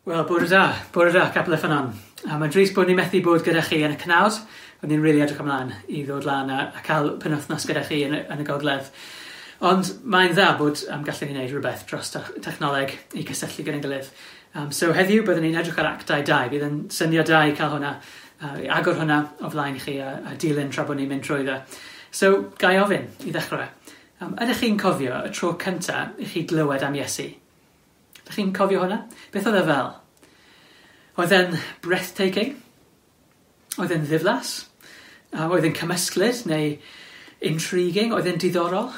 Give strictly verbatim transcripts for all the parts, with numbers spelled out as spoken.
Wel, bore da, bore da, Capel y Ffynnon. A mae'n drist bod ni methu bod gyda chi yn y cnawd. O'n ni'n rili edrych ymlaen i ddod lan a, a cael penwythnos gyda chi yn y, yn y gogledd. Ond mae'n dda bod um, gallwn ni wneud rhywbeth dros technoleg i cysylltu gyda'n gilydd. Um, so heddiw byddwn ni'n edrych ar Actau dau. Bydd yn syniad da i cael hwnna, uh, i agor hwnna o flaen i chi a, a dilyn tra bod ni'n mynd trwyddo. So, ga i ofyn i ddechrau. Um, ydych chi'n cofio y tro cyntaf i chi glywed am Iesu? Ydych chi'n cofio hwnna? Beth oedd e fel? Oedd e'n breathtaking? Oedd e'n ddiflas? A oedd e'n cymysglyd neu intriguing? Oedd e'n diddorol?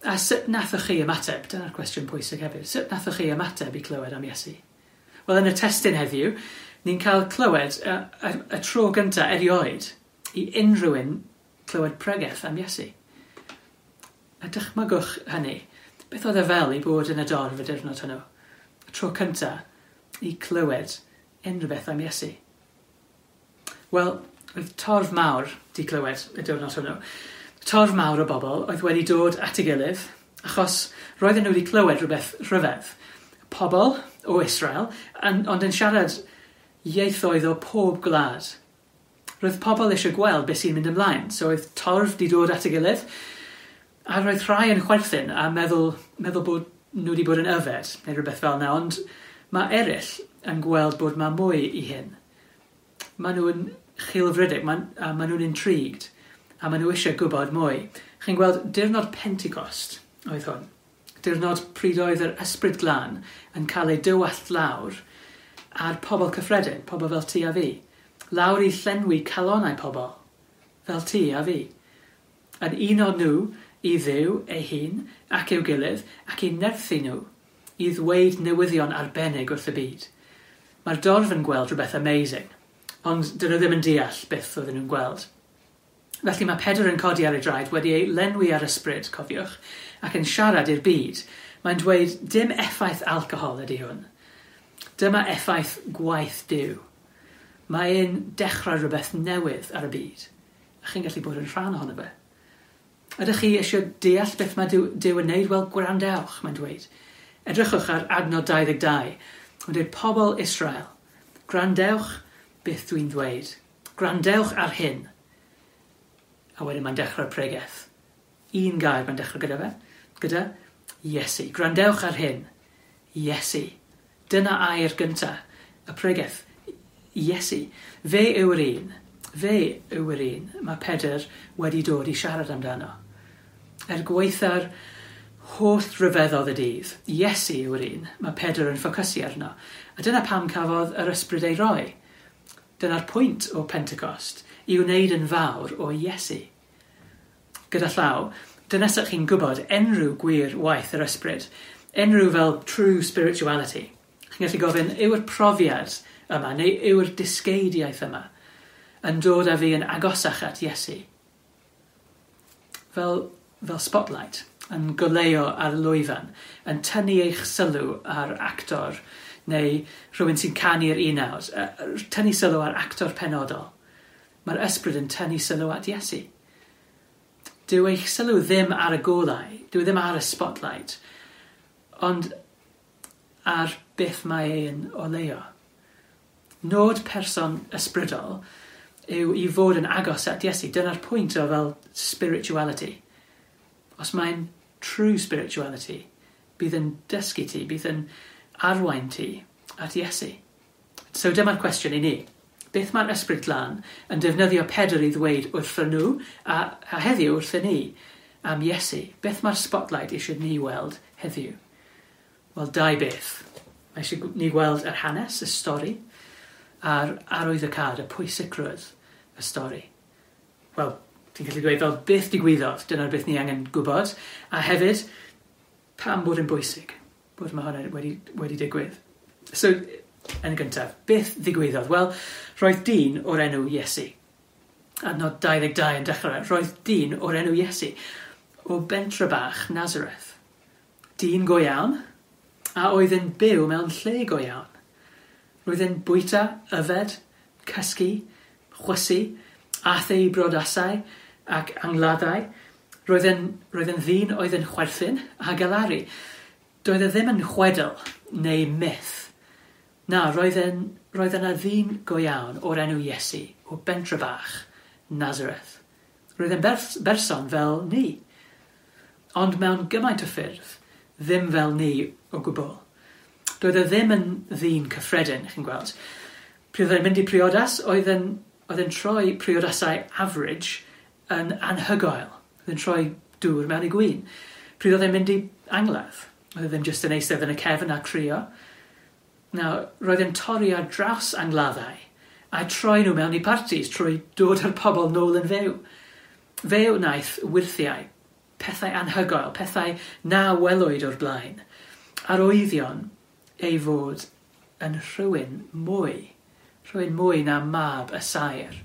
A sut nathoch chi ymateb? Dyna'r cwestiwn pwysig hefyd. Sut nathoch chi ymateb i clywed am Iesu? Wel, yn y testun heddiw, ni'n cael clywed y, y, y tro gyntaf erioed i unrhyw un clywed pregeth am Iesu. A dychmygwch hynny. Beth oedd e fel i bod yn y dorf y diwrnod hwnnw? Y tro cyntaf i clywed unrhyw beth am Iesu. Wel, oedd torf mawr 'di clywed y diwrnod hwnnw. Torf mawr o bobl oedd wedi dod at ei gilydd achos roedden nhw wedi clywed rhywbeth rhyfedd. Pobl o Israel, yn, ond yn siarad ieithoedd o pob gwlad. Roedd pobl eisiau gweld beth sy'n mynd ymlaen, so oedd torf 'di dod at ei gilydd, a roedd rhai yn chwerthin a meddwl, meddwl bod nhw wedi bod yn yfed, neu rhywbeth fel yna, ond mae eraill yn gweld bod mae mwy i hyn. Maen nhw'n chwilfrydig, ma, a maen nhw'n intrigued, a maen nhw eisiau gwybod mwy. Chi'n gweld, diwrnod Pentecost oedd hwn. Diwrnod pryd oedd yr Ysbryd Glân yn cael ei dywallt lawr ar pobl cyffredin, pobl fel ti a fi. Lawr i llenwi calonnau pobl, fel ti a fi. Yn uno nhw i Dduw ei hun ac i'w gilydd ac i nerthu nhw i ddweud newyddion arbennig wrth y byd. Mae'r dorf yn gweld rhywbeth amazing, ond dyn nhw ddim yn deall beth oedden nhw'n gweld. Felly mae Pedr yn codi ar ei draed wedi ei lenwi ar ysbryd, cofiwch, ac yn siarad i'r byd. Mae'n dweud dim effaith alcohol ydy hwn. Dyma effaith gwaith Duw. Mae e'n dechrau rhywbeth newydd ar y byd. A chi'n gallu bod yn rhan ohono fe. Ydych chi eisiau deall beth mae Duw, Duw yn neud? Wel, gwrandewch, mae'n dweud. Edrychwch ar adnod dau ddeg dau. Mae'n dweud, pobl Israel, gwrandewch beth dwi'n ddweud. Gwrandewch ar hyn. A wedyn mae'n dechrau'r pregeth. Un gair mae'n dechrau gyda fe. Gyda Iesu. Gwrandewch ar hyn. Iesu. Dyna air gyntaf y pregeth. Iesu. Fe yw'r un. Fe yw'r un mae Pedr wedi dod i siarad amdano. Er gwaetha'r holl ryfeddodd y dydd, Iesu yw'r un mae Pedr yn ffocysu arno. A dyna pam cafodd yr ysbryd ei roi. Dyna'r pwynt o Pentecost, i wneud yn fawr o Iesu. Gyda llaw, dyna sut chi'n gwybod enrhyw gwir waith yr ysbryd, enrhyw fel true spirituality. Chi'n gallu gofyn, yw'r profiad yma, neu yw'r dysgeidiaeth yma, yn dod â fi yn agosach at Iesu? Fel, fel spotlight, yn goleuo ar lwyfan, yn tynnu eich sylw ar actor, neu rhywun sy'n canu'r unawd, tynnu sylw ar actor penodol. Mae'r ysbryd yn tynnu sylw at Iesu. Dyw eich sylw ddim ar y golau, dyw e ddim ar y spotlight, ond ar beth mae e'n oleuo. Nod person ysbrydol yw i fod yn agos at Iesu. Dyna'r pwynt o fel spirituality. Os mae'n true spirituality, bydd yn dysgu ti, bydd yn arwain ti at Iesu. So dyma'r cwestiwn i ni. Beth mae'r Ysbryd Glân yn defnyddio Pedr i ddweud wrthyn nhw a, a heddiw wrthyn ni am Iesu? Beth mae'r spotlight eisiau ni weld heddiw? Wel, dau beth. Mae eisiau ni gweld yr hanes, y stori, a'r arwyddocâd, y pwysigrwydd y stori. Wel, ti'n gallu dweud fel beth digwyddodd, dyna'r beth ni angen gwybod, a hefyd, pam bod yn bwysig bod mae hwnna wedi, wedi digwydd. So, yn gyntaf, beth ddigwyddodd? Wel, roedd dyn o'r enw Iesu. Adnod dau ddeg dau yn dechrau, roedd dyn o'r enw Iesu o bentre bach Nazareth. Dyn go iawn, a oedd yn byw mewn lle go iawn. Roedd yn bwyta, yfed, cysgu, chwysu, aeth ei brodasau ac angladdau. Roedd yn, roedd yn ddyn oedd yn chwerthin a galaru. Doedd e ddim yn chwedl neu myth. Na, roedd, en, roedd yna ddyn go iawn o'r enw Iesu, o bentre bach, Nazareth. Roedd e'n berson fel ni, ond mewn gymaint o ffyrdd, ddim fel ni o gwbl. Doedd e ddim yn ddyn cyffredin, chi'n gweld. Pryd oedd e'n mynd i priodas, oedd e'n, oedd e'n troi priodasau average yn anhygoel. Oedd e'n troi dŵr mewn i gwin. Pryd oedd e'n mynd i angladd, oedd e ddim jyst yn eistedd yn y cefn a crio. Nawr, roedd e'n torri ar draws angladdau a troi nhw mewn i partis trwy dod â'r pobl nôl yn fyw. Fe wnaeth wyrthiau, pethau anhygoel, pethau na welwyd o'r blaen, arwyddion ei fod yn rhywun mwy, rhywun mwy na mab y saer.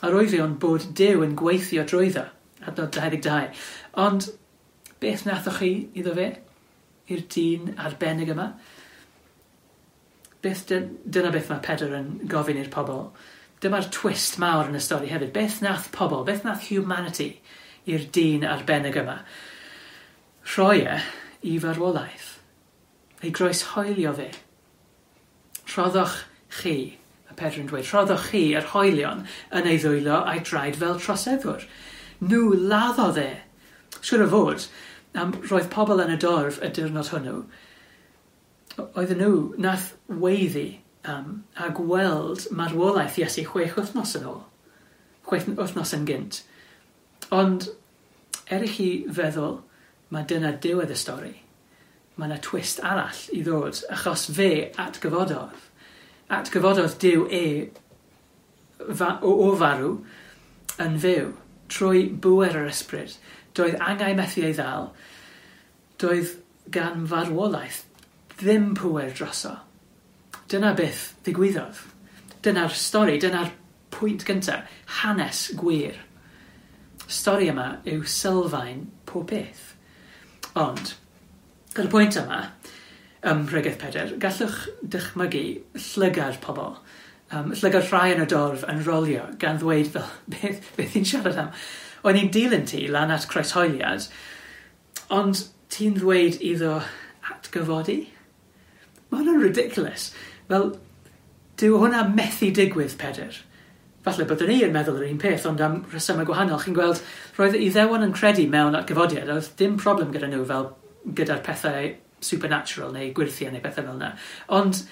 Arwyddion bod Duw yn gweithio drwyddo, adnod dau ddeg dau. Ond beth nathoch chi iddo fe? I'r dyn arbennig yma? Beth dyna beth mae Pedr yn gofyn i'r pobl. Dyma'r twist mawr yn y stori hefyd. Beth nath pobl, beth nath humanity i'r dyn arbennig yma? Rhoi e i farwolaeth. Ei groeshoelio fe. Rhoddoch chi, mae Pedr yn dweud, rhoddoch chi yr hoelion yn ei ddwylo a'i draed fel troseddwr. Nhw laddodd e. Siwr o fod, am roedd pobl yn y dorf y diwrnod hwnnw, oedden nhw nath weiddi um, a gweld marwolaeth Iesu chwech wythnos yn ôl, chwech wythnos yn gynt. Ond er i chi feddwl, mae dyna diwedd y stori, mae yna twist arall i ddod, achos fe atgyfododd. Atgyfododd Duw e fa, o, o farw yn fyw, trwy bŵer yr ysbryd. Doedd angau methu ei ddal, doedd gan farwolaeth ddim pŵer droso. Dyna beth ddigwyddodd. Dyna'r stori, dyna'r pwynt gyntaf, hanes gwir. Stori yma yw sylfaen pob peth. Ond, gyda'r pwynt yma, ym Mhregeth Pedr, gallwch dychmygu llygad pobl. Um, llygad rhai yn y dorf yn rolio gan ddweud fel, beth, beth i'n siarad am? O'n i'n dilyn ti lan at croeshoeliad, ond ti'n ddweud iddo atgyfodi? Mae hwnna'n ridiculous. Fel, dyw hwnna methu digwydd, Pedr. Falle byddwn ni yn meddwl yr un peth, ond am rhesymau gwahanol. Chi'n gweld, roedd Iddewon yn credu mewn atgyfodiad, oedd dim problem gyda nhw fel gyda'r pethau supernatural neu gwyrthiau neu pethau fel yna. Ond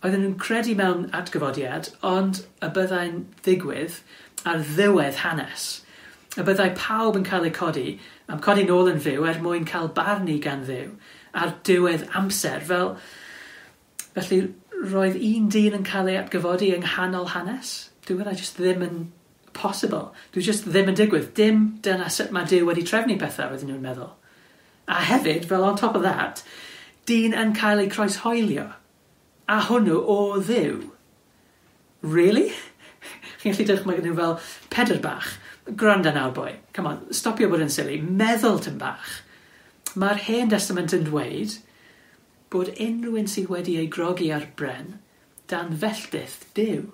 oedden nhw'n credu mewn atgyfodiad, ond y byddai'n ddigwydd ar ddiwedd hanes. Y byddai pawb yn cael eu codi, am codi nôl yn fyw er mwyn cael barnu gan Dduw ar diwedd amser. Fel, felly roedd un dyn yn cael ei atgyfodi yng nghanol hanes. Dyw hwnna jyst ddim yn possible. Dyw jyst ddim yn digwydd. Dim dyna sut mae Duw wedi trefnu pethau, oedden nhw'n meddwl. A hefyd, fel on top of that, dyn yn cael ei croeshoelio. A hwnnw o Dduw. Really? Chi'n gallu dychmygu nhw fel Pedr bach. Gwranda nawr, boi. Come on, stopio bod yn silly. Meddwl tym bach. Mae'r Hen Testament yn dweud bod unrhyw un sydd wedi ei grogi ar bren dan felltith Duw.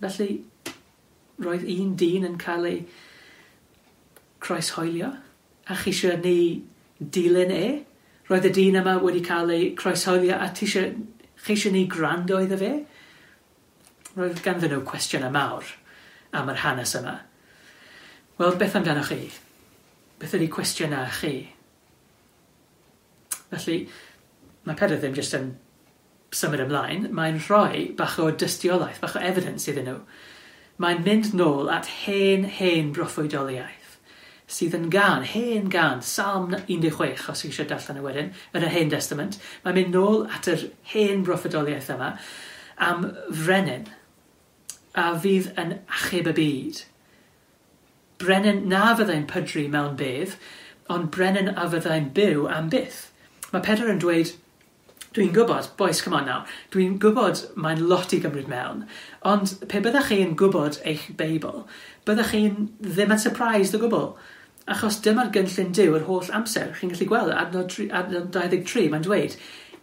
Felly, roedd un dyn yn cael ei croeshoelio, a chi eisiau ni dilyn e? Roedd y dyn yma wedi cael ei croeshoelio, a ti eisiau, chi eisiau ni gwrando iddo fe? Roedd ganddyn nhw cwestiynau mawr am yr hanes yma. Wel, beth amdanoch chi? Beth ydy cwestiynau chi? Felly, mae Pedr ddim jyst yn symud ymlaen, mae'n rhoi bach o dystiolaeth, bach o evidence iddyn nhw. Mae'n mynd nôl at hen, hen broffwydoliaeth, sydd yn gân, hen gân, Salm un deg chwech, os chi eisiau darllen y wedyn, yn yr Hen Testament. Mae'n mynd nôl at yr hen broffwydoliaeth yma am frenin a fydd yn achub y byd. Brenin na fyddai'n pydru mewn bedd, ond brenin a fyddai'n byw am byth. Mae Pedr yn dweud, dwi'n gwybod, boys, come on now, dwi'n gwybod mae'n lot i gymryd mewn, ond pe byddech chi'n gwybod eich Beibl, byddech chi'n ddim yn surprised o gwbl, achos dyma'r gynllun Duw yr holl amser. Chi'n gallu gweld, adnod, adnod dau ddeg tri, mae'n dweud,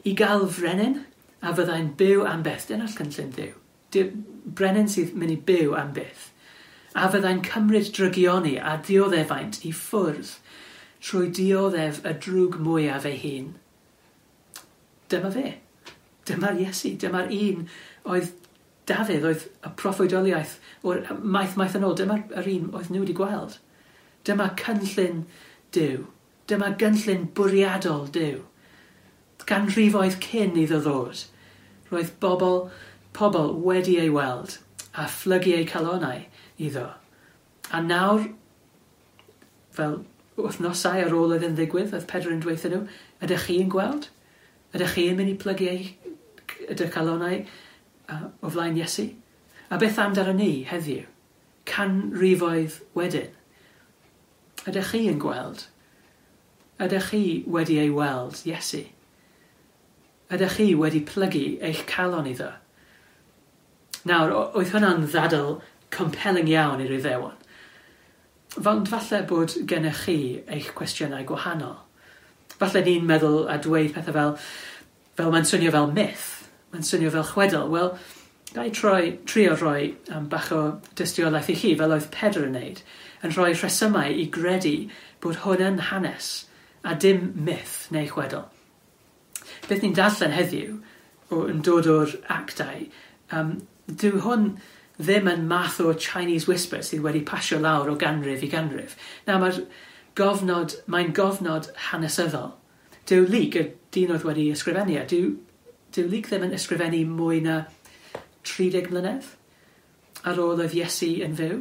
i gael frenin a fyddai'n byw am byth. Dyna'r cynllun Duw. Brenin sydd mynd i byw am byth. A fyddai'n cymryd drygioni a dioddefaint i ffwrdd trwy dioddef y drwg mwyaf ei hun. Dyma fe. Dyma'r Iesu. Dyma'r un oedd Dafydd, oedd y proffwydoliaeth o'r maith maith yn ôl. Dyma'r yr un oedd nhw wedi gweld. Dyma cynllun Duw. Dyma gynllun bwriadol Duw. Ganrifoedd cyn iddo ddod, roedd bobl, pobl wedi ei weld a phlygu eu calonau iddo. A nawr, fel wythnosau ar ôl iddyn ddigwydd, oedd Pedr yn dweud nhw, ydych chi'n gweld? Ydych chi'n mynd i plygu eich ydych calonau uh, o flaen Iesu? A beth amdano ni heddiw? Canrifoedd wedyn. Ydych chi yn gweld? Ydych chi wedi ei weld Iesu? Ydych chi wedi plygu eich calon iddo? Nawr, oedd hwnna'n ddadl compelling iawn i'r Iddewon. Ond falle bod gennych chi eich cwestiynau gwahanol. Falle ni'n meddwl a dweud pethau fel, fel mae'n swnio fel myth, mae'n swnio fel chwedl. Wel, ga i troi, trio rhoi um, bach o dystiolaeth i chi, fel oedd Pedr yn neud, yn rhoi rhesymau i gredu bod hwn yn hanes a dim myth neu chwedl. Beth ni'n darllen heddiw, o, yn dod o'r actau, um, dyw hwn ddim yn math o Chinese whisper sydd wedi pasio lawr o ganrif i ganrif. Na, mae'r gofnod, mae'n gofnod hanesyddol. Dyw Luc, y dyn oedd wedi ysgrifennu e, dyw, dyw Luc ddim yn ysgrifennu mwy na tri deg mlynedd ar ôl oedd Iesu yn fyw.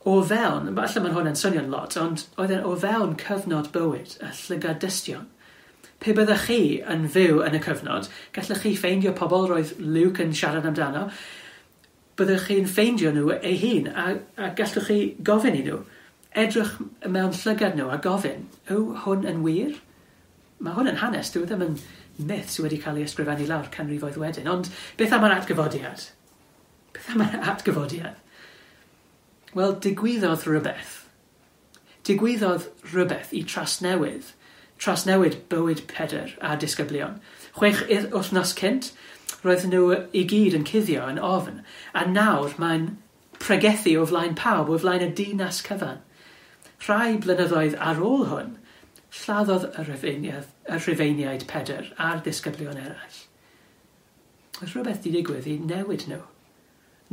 O fewn, falle mae hwn yn swnio'n lot, ond oedd e'n o fewn cyfnod bywyd y llygad dystion. Pe byddech chi yn fyw yn y cyfnod, gallech chi ffeindio pobl roedd Luke yn siarad amdano, byddwch chi'n ffeindio nhw ei hun a, a gallwch chi gofyn i nhw, edrych mewn llygad nhw a gofyn, yw hwn yn wir? Mae hwn yn hanes, dyw e ddim yn myth sydd wedi cael ei ysgrifennu lawr canrifoedd wedyn. Ond beth am yr atgyfodiad? Beth am yr atgyfodiad? Wel, digwyddodd rhywbeth. Digwyddodd rhywbeth i trasnewydd, trasnewid bywyd Pedr a disgyblion. Chwech wythnos cynt, roedd nhw i gyd yn cuddio yn ofn, a nawr mae'n pregethu o flaen pawb, o flaen y dinas cyfan. Rhai blynyddoedd ar ôl hwn, lladdodd y Rhufeiniaid, y Rhufeiniaid Pedr a'r disgyblion eraill. Oedd rhywbeth di digwydd i newid nhw.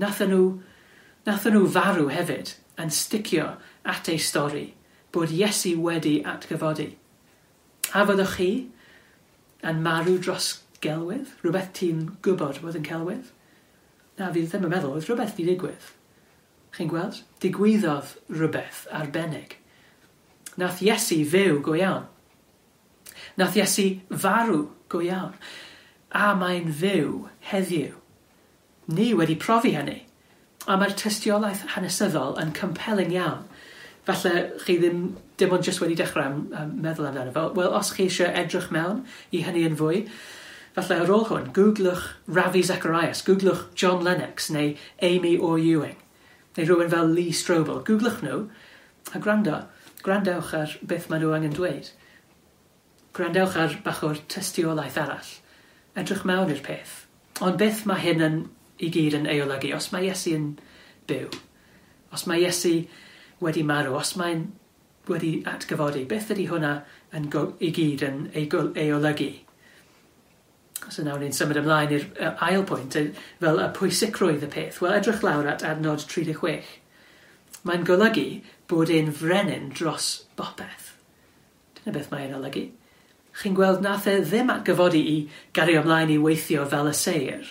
Nathon nhw, nathon nhw farw hefyd yn sticio at ei stori bod Iesu wedi atgyfodi. A fyddwch chi yn marw dros gelwydd? Rhywbeth ti'n gwybod bod yn celwydd? Na, fi ddim yn meddwl, oedd rhywbeth di digwydd. Chi'n gweld? Digwyddodd rhywbeth arbennig. Nath Iesu fyw go iawn. Nath Iesu farw go iawn. A mae'n fyw heddiw. Ni wedi profi hynny. A mae'r tystiolaeth hanesyddol yn compelling iawn. Falle chi ddim dim ond jyst wedi dechrau am, am meddwl amdano fel. Wel, os chi eisiau edrych mewn i hynny yn fwy, falle ar ôl hwn, googlwch Ravi Zacharias, googlwch John Lennox neu Amy Orr Ewing, neu rhywun fel Lee Strobel. Googlwch nhw a gwrando. Gwrandewch ar beth maen nhw angen dweud. Gwrandewch ar bach o'r tystiolaeth arall. Edrych mewn i'r peth. Ond beth mae hyn yn, i gyd yn ei olygu? Os mae Iesu yn byw, os mae Iesu wedi marw, os mae'n wedi atgyfodi, beth ydy hwnna yn go, i gyd yn ei, ei olygu? So nawr ni'n symud ymlaen i'r ail pwynt, fel y pwysigrwydd y peth. Wel, edrych lawr at adnod tri deg chwech. Mae'n golygu bod e'n frenin dros bopeth. Dyna beth mae'n olygu. Chi'n gweld nath e ddim atgyfodi i gario ymlaen i weithio fel y seir.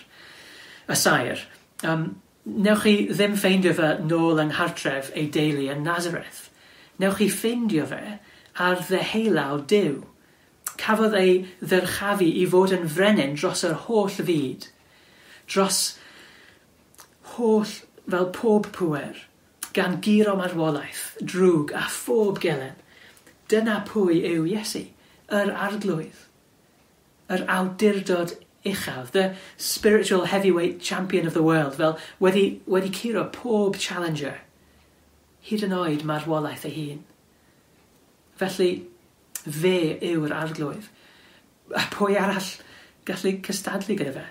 Y saer. Um, newch chi ddim ffeindio fe nôl yng nghartref ei deulu yn Nazareth. Newch chi ffeindio fe ar ddeheulaw Duw. Cafodd ei ddyrchafu i fod yn frenin dros yr holl fyd. Dros holl, fel pob pŵer, gan guro marwolaeth, drwg a phob gelen. Dyna pwy yw Iesu, yr arglwydd, yr awdurdod uchaf, the spiritual heavyweight champion of the world, fel wedi, wedi curo pob challenger, hyd yn oed marwolaeth ei hun. Felly, fe yw'r arglwydd. A pwy arall gallu cystadlu gyda fe?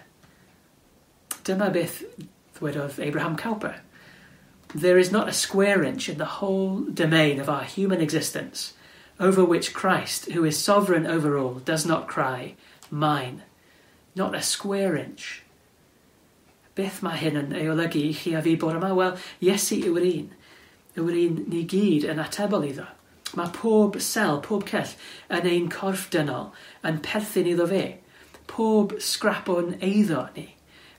Dyma beth ddwedodd Abraham Kuyper. There is not a square inch in the whole domain of our human existence over which Christ, who is sovereign over all, does not cry, mine, not a square inch. Beth mae hyn yn ei olygu i chi a fi bore yma? Wel, Iesu yw'r un. Yw'r un ni gyd yn atebol iddo. Mae pob sel, pob cell yn ein corff dynol yn perthyn iddo fe. Pob scrap o'n eiddo ni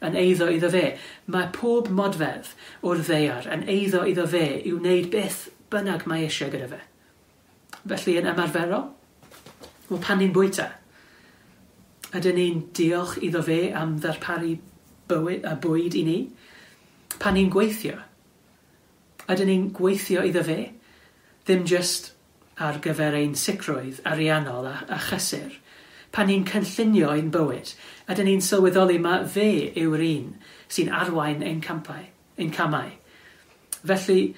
yn eiddo iddo fe. Mae pob modfedd o'r ddaear yn eiddo iddo fe i wneud beth bynnag mae eisiau gyda fe. Felly yn ymarferol, wel, pan ni'n bwyta, ydyn ni'n diolch iddo fe am ddarparu bywyd, a bwyd i ni? Pan ni'n gweithio, ydyn ni'n gweithio iddo fe? Ddim just ar gyfer ein sicrwydd ariannol a, a chysur. Pan ni'n cynllunio ein bywyd, ydyn ni'n sylweddoli mae fe yw'r un sy'n arwain ein campau, ein camau. Felly,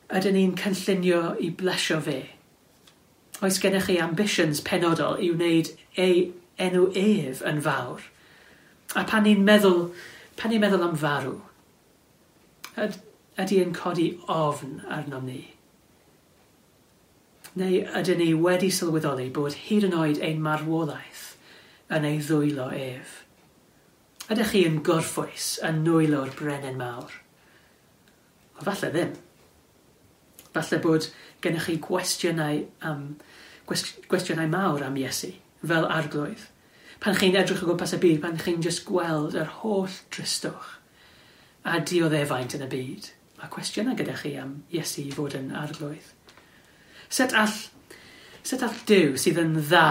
ydyn ni'n cynllunio i blesio fe? Oes gennych chi ambitions penodol i wneud ei enw ef yn fawr? A pan ni'n meddwl, pan ni'n meddwl am farw, yd, ydy yn codi ofn arnom ni? Neu ydyn ni wedi sylweddoli bod hyd yn oed ein marwolaeth yn ei ddwylo ef? Ydych chi yn gorffwys yn nwylo'r brenin mawr? Wel, falle ddim. Falle bod gennych chi gwestiynau, am, gwestiynau mawr am Iesu, fel arglwydd. Pan chi'n edrych o gwmpas y byd, pan chi'n just gweld yr holl dristwch a dioddefaint yn y byd, mae cwestiynau gyda chi am Iesu i fod yn arglwydd. Sut all, sut all Duw sydd yn dda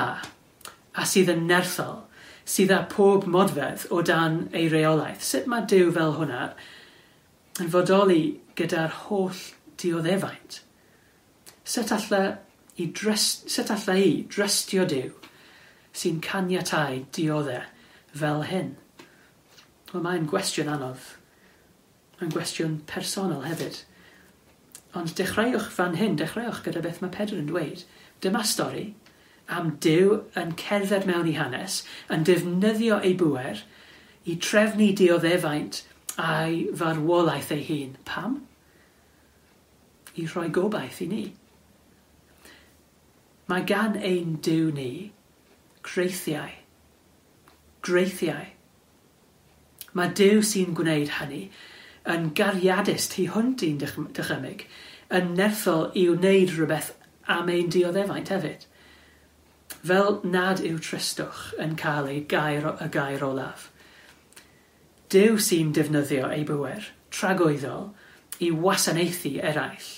a sydd yn nerthol, sydd â pob modfedd o dan ei reolaeth, sut mae Duw fel hwnna yn fodoli gyda'r holl dioddefaint? Sut alla i, drys, sut alla i drystio Duw sy'n caniatáu diodde fel hyn? Wel, mae'n gwestiwn anodd. Mae'n gwestiwn personol hefyd. Ond dechreuwch fan hyn, dechreuwch gyda beth mae Pedr yn dweud. Dyma stori am Duw yn cerdded mewn i hanes, yn defnyddio ei bŵer i trefnu dioddefaint a'i farwolaeth ei hun. Pam? I rhoi gobaith i ni. Mae gan ein Duw ni greithiau. Greithiau. Mae Duw sy'n gwneud hynny yn gariadus tu hwnt i'n dychymyg, yn nerthol i wneud rhywbeth am ein dioddefaint hefyd. Fel nad yw tristwch yn cael ei gair, y gair olaf. Duw sy'n defnyddio ei bŵer tragwyddol i wasanaethu eraill,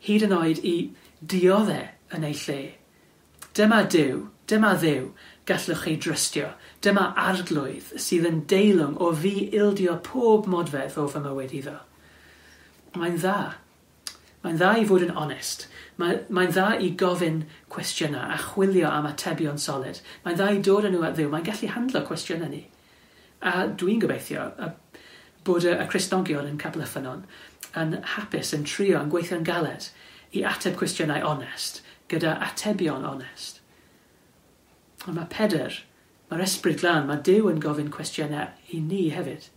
hyd yn oed i diodde yn ei lle. Dyma Duw, dyma Dduw, gallwch chi drystio. Dyma arglwydd sydd yn deilwng o fi ildio pob modfedd o fy mywyd iddo. Mae'n dda. Mae'n dda i fod yn onest. Mae, mae'n dda i gofyn cwestiynau a chwilio am atebion solid. Mae'n dda i dod â nhw at Dduw. Mae'n gallu handlo cwestiynau ni. A dwi'n gobeithio y, bod y, y Cristnogion yn Capel y Ffynnon yn hapus, yn trio, yn gweithio'n galed i ateb cwestiynau onest gyda atebion onest. Ond mae Pedr, mae'r Ysbryd Glân, mae Duw yn gofyn cwestiynau i ni hefyd.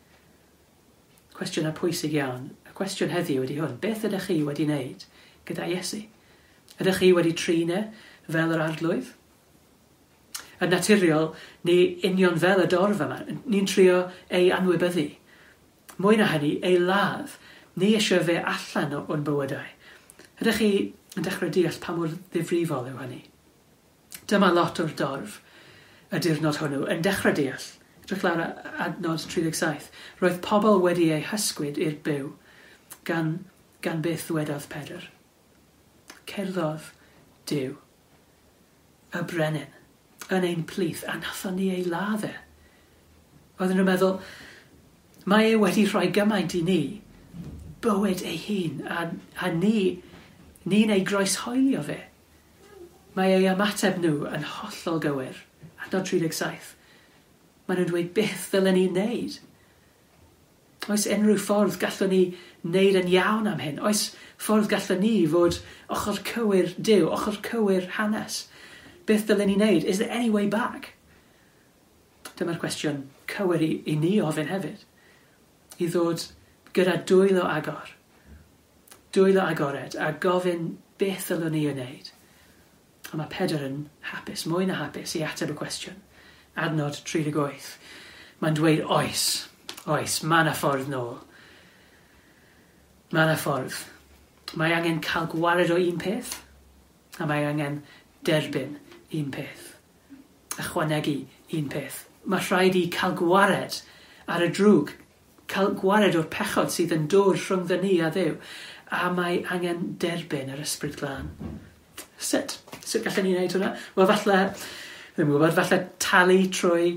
Cwestiynau pwysig iawn. Y cwestiwn heddiw ydy hwn. Beth ydych chi wedi wneud gyda Iesu? Ydych chi wedi trin e fel yr arglwydd? Yn naturiol, ni union fel y dorf yma. Ni'n trio ei anwybyddu. Mwy na hynny, ei ladd. Ni eisiau fe allan o'n bywydau. Ydych chi yn dechrau deall pa mor ddifrifol yw hynny? Dyma lot o'r dorf y diwrnod hwnnw yn dechrau deall. Edrych lawr adnod tri deg saith. Roedd pobl wedi eu hysgwyd i'r byw gan, gan beth ddwedodd Pedr. Cerddodd Duw, y brenin, yn ein plith, a nathon ni ei ladd e. Oedden nhw'n meddwl, mae e wedi rhoi gymaint i ni, bywyd ei hun, a, a ni, ni'n ei groeshoelio fe. Mae ei ymateb nhw yn hollol gywir. Adnod tri deg saith. Maen nhw'n dweud, beth ddylen ni wneud? Oes unrhyw ffordd gallwn ni wneud yn iawn am hyn? Oes ffordd gallwn ni fod ochr cywir Duw, ochr cywir hanes? Beth ddylen ni wneud? Is there any way back? Dyma'r cwestiwn cywir i, i ni ofyn hefyd. I ddod gyda dwylo agor. Dwylo agored a gofyn beth ddylwn ni wneud. A mae Pedr yn hapus, mwy na hapus, i ateb y cwestiwn. Adnod tri deg wyth. Mae'n dweud oes, oes, mae yna ffordd nôl. Mae yna ffordd. Mae angen cael gwared o un peth, a mae angen derbyn un peth. Ychwanegu un peth. Mae rhaid i cael gwared ar y drwg, cael gwared o'r pechod sydd yn dod rhwngddo ni a Dduw, a mae angen derbyn yr Ysbryd Glân. Sut? Sut gallen ni wneud hwnna? Wel, falle, ddim yn gwybod, falle talu trwy,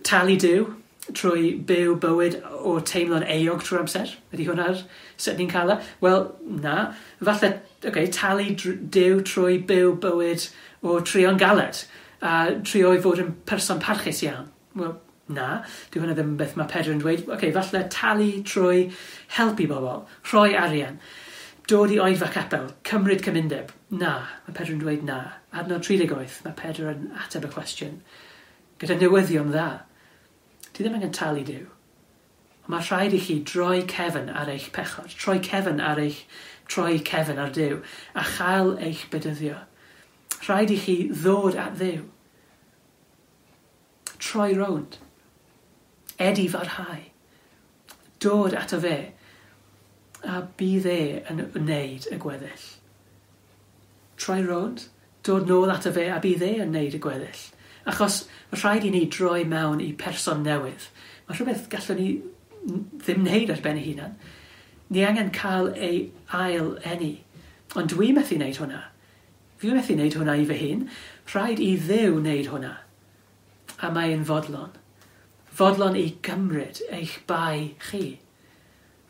talu Duw, trwy byw bywyd o teimlo'n euog trwy'r amser. Ydy hwnna'r sut ni'n cael e? Wel, na. Falle, okay, talu Duw trwy byw bywyd o trio'n galed a trio i fod yn person parchus iawn. Wel, na. Dyw hwnna ddim beth mae Pedr yn dweud. Okay, falle talu trwy helpu bobl, rhoi arian, dod i oedfa capel, cymryd cymundeb. Na, mae Pedr yn dweud na. Adnod tri deg wyth, mae Pedr yn ateb y cwestiwn gyda newyddion dda. Ti ddim angen talu Duw. Ond mae rhaid i chi droi cefn ar eich pechod, troi cefn ar eich, troi cefn ar Duw, a chael eich bedyddio. Rhaid i chi ddod at Dduw. Troi rownd. Edifarhau. Dod ato fe. A bydd e yn wneud y gweddill. Troi rownd, dod nôl ato fe a bydd e yn wneud y gweddill. Achos mae rhaid i ni droi mewn i person newydd. Mae rhywbeth gallwn ni ddim wneud ar ben ei hunan. Ni angen cael ei ail eni. Ond dwi methu wneud hwnna. Fi methu wneud hwnna i fy hun. Rhaid i Dduw wneud hwnna. A mae'n fodlon. Fodlon i gymryd eich bai chi.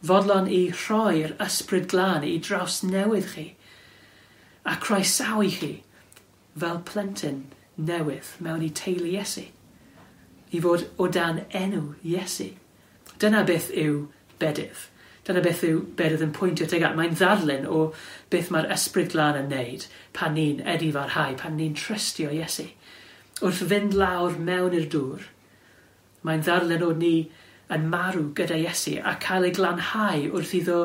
Fodlon i rhoi'r Ysbryd Glân i drawsnewid chi. A croesawu chi fel plentyn newydd mewn i teulu Iesu. I fod o dan enw Iesu. Dyna beth yw bedydd. Dyna beth yw bedydd yn pwyntio tuag at. Mae'n ddarlun o beth mae'r Ysbryd Glân yn neud pan ni'n edifarhau, pan ni'n trystio Iesu. Wrth fynd lawr mewn i'r dŵr, mae'n ddarlun o ni yn marw gyda Iesu a cael ei glanhau wrth iddo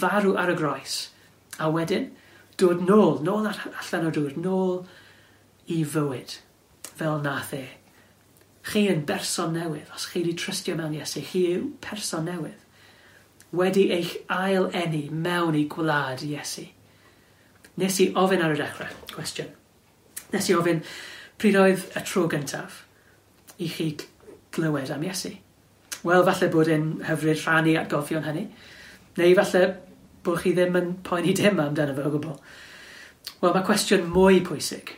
farw ar y groes. A wedyn, dod nôl, nôl allan o'r dŵr, nôl i fywyd, fel nath e. Chi yn berson newydd, os chi wedi trystio mewn Iesu, chi yw person newydd. Wedi eich ail eni mewn i gwlad Iesu. Nes i ofyn ar y dechrau, cwestiwn. Nes i ofyn, pryd oedd y tro gyntaf i chi glywed am Iesu? Wel, falle bod e'n hyfryd rhannu atgofion hynny, neu falle bod chi ddim yn poeni dim amdano fe o gwbl. Wel, mae cwestiwn mwy pwysig,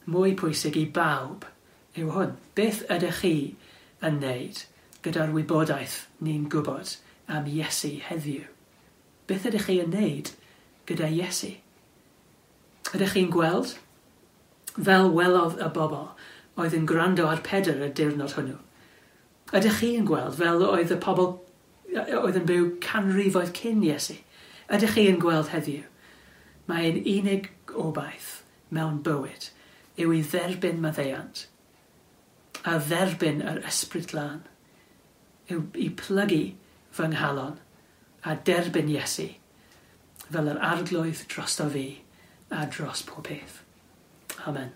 mwy pwysig i bawb yw hwn. Beth ydych chi yn wneud gyda'r wybodaeth ni'n gwybod am Iesu heddiw? Beth ydych chi yn wneud gyda Iesu? Ydych chi'n gweld? Fel welodd y bobl oedd yn gwrando ar Pedr y diwrnod hwnnw. Ydych chi yn gweld fel oedd y pobl oedd yn byw canrifoedd cyn Iesu? Ydych chi yn gweld heddiw? Mae'n unig obaith mewn bywyd yw i dderbyn maddeuant a dderbyn yr Ysbryd Glân, yw i plygu fy nghalon a derbyn Iesu fel yr arglwydd drosto fi a dros pob peth. Amen.